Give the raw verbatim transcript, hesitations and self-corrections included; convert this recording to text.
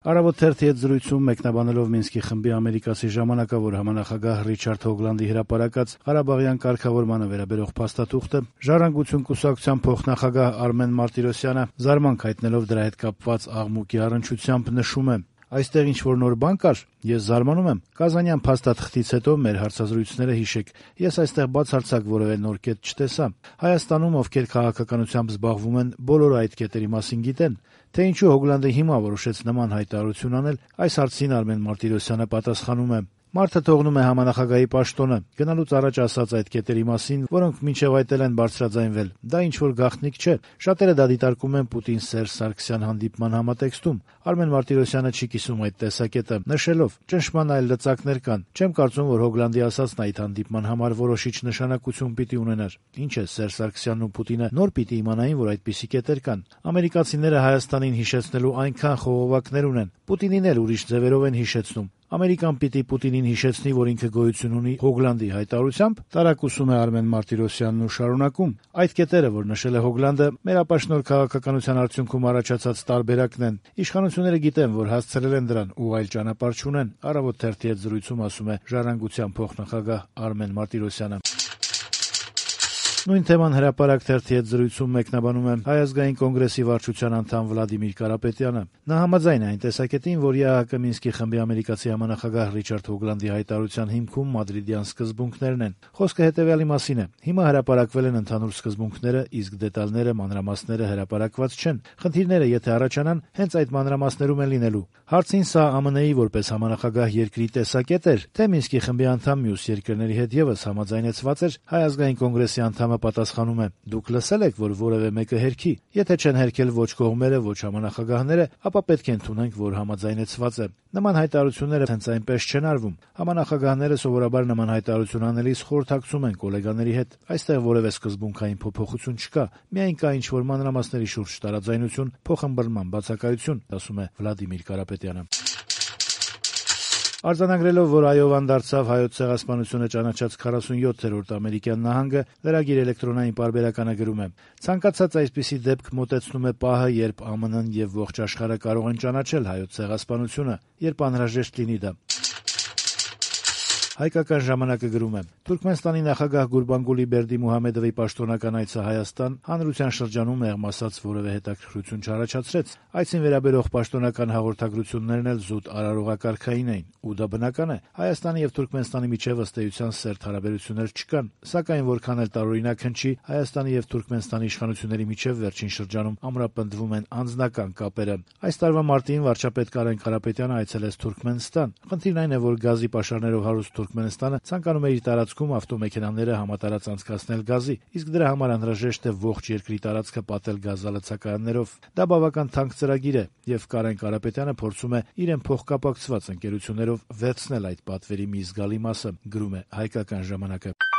Առավոտ թերթի հետ զրույցում մեկնաբանելով Մինսկի խմբի ամերիկացի ժամանակավոր համանախագահ Ռիչարդ Հոգլանդի հրապարակած Ղարաբաղյան կարգավորմանը վերաբերող փաստաթուղթը, Ժառանգություն կուսակցության փոխնախագահ Արմեն Մարտիրոսյանը զարմանք հայտնելով դրա հետ կապված աղմուկի առնչությամբ նշում է. «Այստեղ ինչ-որ նոր բան կար, ես զարմանում եմ, Կազանյան փաստաթղթից հետո մեր հարցազրույցները հիշեք, ես այստեղ բացարձակ որևէ նոր կետ չտեսա։ Հայաստանում, ովքեր քաղաքականությամբ զբաղվում են, բոլորը այդ կետերի մասին գիտեն, թե ինչու Հոգլանդը հիմա որոշեց նման հայտարարություն անել, այս հարցին Արմեն Մարտիրոսյանը պատասխանում է. Մարդը թողնում է համանախագահի պաշտոնը, գնալուց առաջ ասած այդ կետերի մասին, որոնք մինչև այդ էլ են բարձրաձայնվել, դա ինչ-որ գաղտնիք չէ, շատերը դա դիտարկում են Պուտին-Սերժ Սարգսյան հանդիպման համատեքստում։ Արմեն Մարտիրոսյանը չի կիսում այդ տեսակետը, նշելով. ճնշման այլ լծակներ կան, չեմ կարծում, որ Հոգլանդի ասածն այդ հանդիպման համար որոշիչ նշանակություն պիտի ունենար։ Ինչ է, Սերժ Սարգսյանն ու Պուտինը նոր պիտի իմանային, որ այդպիսի կետեր կան։ Ամերիկացիները Հայաստանին հիշեցնելու այնքան խողովակներ ունեն, Պուտինին էլ ուրիշ ձևերով են հիշեցնում։ Ամերիկան պիտի Պուտինին հիշեցնի, որ ինքը գոյություն ունի Հոգլանդի հայտարարությամբ, տարակուսում է Արմեն Մարտիրոսյանն ու շարունակում. այդ կետերը, որ նշել է Հոգլանդը, մեր ապաշնոր քաղաքականության արդյունքում առաջացած տարբերակն են։ Իշխանությունները գիտեն, որ հասցրել են դրան ու այլ ճանապարհ չունեն։ Առավոտ թերթի հետ զրույցում ասում է Ժառանգության փոխնախագահ Արմեն Մարտիրոսյանը։ Նույն թեման հրապարակ թերթի հետ զրույցում մեկնաբանում է Հայ ազգային կոնգրեսի վարչության անդամ Վլադիմիր Կարապետյանը։ Նա համաձայն է այն տեսակետին, որ ԵԱՀԿ Մինսկի խմբի ամերիկացի համանախագահ Ռիչարդ Հոգլանդի հայտարարության հիմքում մադրիդյան սկզբունքներն են։ Խոսքը հետևյալի մասին է. հիմա հրապարակվել են ընդհանուր սկզբունքները, իսկ դետալները, մանրամասները հրապարակված չեն։ Խնդիրները, եթե առաջանան, հենց այդ մանրամասներում են լինելու։ Հարցին սա ԱՄՆ-ի որպես համանախագահ երկրի տեսակետ էր, թե Մինսկի խմբի անդամ մյուս երկրների հետ եւս համաձայնեցված էր, Հայ ազգային կոնգրեսի անդամը պատասխանում է. դուք լսել եք, որ որևէ մեկը հերքի, եթե չեն հերքել ոչ կողմերը, ոչ համանախագահները, ապա պետք է ընդունենք, որ համաձայնեցված է։ Նման հայտարարությունները հենց այնպես չեն արվում։ Համանախագահները սովորաբար նման հայտարարություն անելիս խորհրդակցում են գոլեգաների հետ։ Այստեղ որևէ սկզբունքային փոփոխություն չկա, միայն կա ինչ-որ մանրամասների շուրջ տարաձայնություն, փոխըմբռնման բացակայություն, ասում է Վլադիմիր Կարապետյանը։ Արձանագրելով, որ Այովան դարձավ Հայոց ցեղասպանությունը ճանաչած քառասունյոթերորդ ամերիկյան նահանգը, լրագիր էլեկտրոնային պարբերականը գրում է. ցանկացած այսպիսի դեպք մոտեցնում է պահը, երբ ԱՄՆ-ն եւ ողջ աշխարհը կարող են ճանաչել Հայոց ցեղասպանությունը, երբ անհրաժեշտ լինի դա։ Հայկական ժամանակը գրում է. Թուրքմենստանի նախագահ Գուրբանգուլի Բերդիմուհամեդովի պաշտոնական այցը Հայաստան հանրության շրջանում եղմ ասած որևէ հետաքրքրություն չառաջացրեց։ Այցին վերաբերող պաշտոնական հաղորդագրություններն էլ զուտ արարողակարգային էին, ու դա բնական է։ Հայաստանի եւ Թուրքմենստանի միջև ըստ էության սերտ հարաբերություններ չկան, սակայն որքան էլ տարօրինակ հնչի, Հայաստանի եւ Թուրքմենստանի իշխանությունների միջև վերջին շրջանում ամրապնդվում են անձնական կապերը։ Այս տարվա մարտին վարչապետ Կարեն Կարապետյանը այցելեց Թուրքմենստան։ Խնդիրն այն է, որ գազի պաշարներով հարուստ Թուրքմենստանը ցանկանում է իր տարածքում ավտոմեքենաները համատարած անցկացնել գազի, իսկ դրա համար անհրաժեշտ է ողջ երկրի տարածքը պատել գազալցակայաններով։ Դա բավական թանկ ծրագիր է, եւ Կարեն Կարապետյանը փորձում է իրեն փոխկապակցված ընկերություններով վերցնել այդ պատվերի մի զգալի մասը, գրում է Հայկական ժամանակը։